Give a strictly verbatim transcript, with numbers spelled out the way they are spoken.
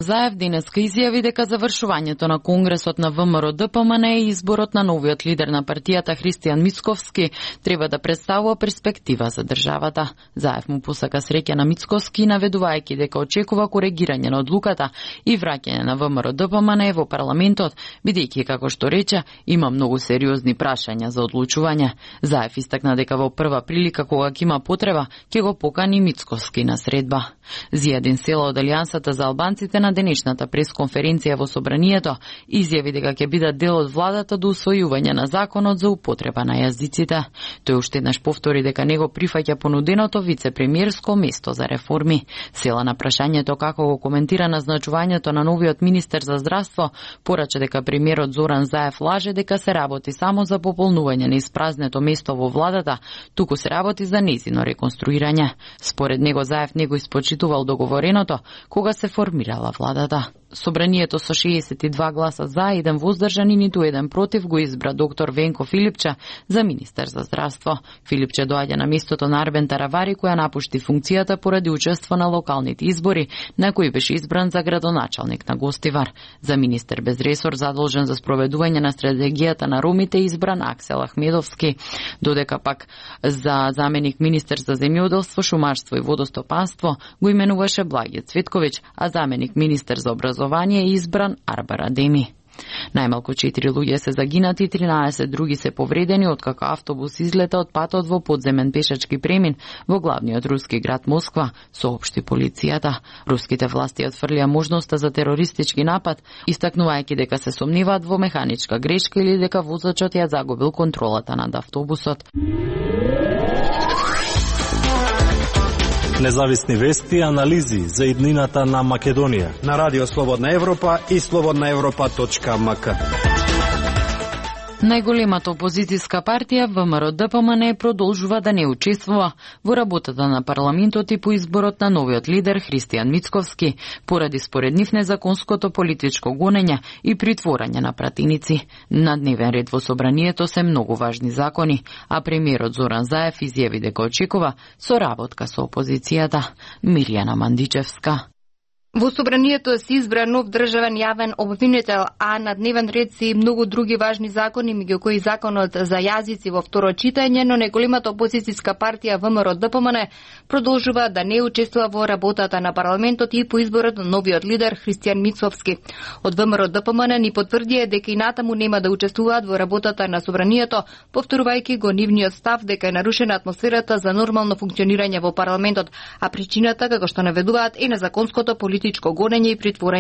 Заев денеска изјави дека завршувањето на Конгресот на ВМРО-ДПМН и изборот на новиот лидер на партијата Христијан Мицковски треба да представува перспектива за државата. Заев му посака среќа на Мицковски, наведувајќи дека очекува коригирање на одлуката и враќање на ВМРО-ДПМН во парламентот, бидејќи, како што рече, има многу сериозни прашања за одлучување. Заев истакна дека во прва прилика кога ќе има потреба, ќе го покани Мицковски на средба. Зијадин Села од Алијансата за албанците на денешната пресконференција во Собранието изјави дека ќе бидат дел од владата до усвојување на законот за употреба на јазиците. Тој уште еднаш повтори дека него прифаќа понуденото вице-премиерско место за реформи. Села на прашањето како го коментира назначувањето на новиот министер за здравство, порача дека премиерот Зоран Заев лаже дека се работи само за пополнување на испразнето место во владата, туку се работи за нејзино реконструирање. Според него Заев не го испочитувал договореното кога се формирала владата. Собранието со шеесет и два гласа за, еден воздржан и ниту еден против го избра доктор Венко Филипче за министер за здравство. Филипче доаѓа на местото на Арбен Таравари, која напушти функцијата поради учество на локалните избори, на кои беше избран за градоначалник на Гостивар. За министер без ресор задолжен за спроведување на стратегијата на ромите избран Аксел Ахмедовски, додека пак за заменик министер за земјоделство, шумарство и водостопанство го именуваше Благе Цветковиќ, а заменик министер за образование е избран Арбар Адеми. Најмалку четири луѓе се загинати, тринаесет други се повредени откако автобус излета од патот во подземен пешачки премин во главниот руски град Москва, соопшти полицијата. Руските власти отфрлија можноста за терористички напад, истакнувајќи дека се сомневаат во механичка грешка или дека возачот ја загубил контролата над автобусот. Независни вести и анализи за иднината на Македонија на Радио Слободна Европа и слободна европа точка ем ка. Најголемата опозицијска партија ВМРО-ДПМН продолжува да не учествува во работата на парламентот и по изборот на новиот лидер Христијан Мицковски, поради според нив незаконското политичко гонење и притворање на пратеници. На дневен ред во Собранието се многу важни закони, а премиерот Зоран Заев изјави дека очекува соработка со опозицијата. Мирјана Мандичевска. Во Собранието се избра нов државен јавен обвинител, а на дневен ред се и многу други важни закони, меѓу кои законот за јазици во второ читање, но најголемата опозицијска партија ВМРО-ДПМН продолжува да не учествува во работата на парламентот и по изборот на новиот лидер Христијан Мицковски. Од ВМРО-ДПМН ни потврдија дека и натаму нема да учествуваат во работата на Собранието, повторувајќи го нивниот став дека е нарушена атмосферата за нормално функционирање во парламентот, а причината, како што наведуваат, е незаконското политичко гонење и притворање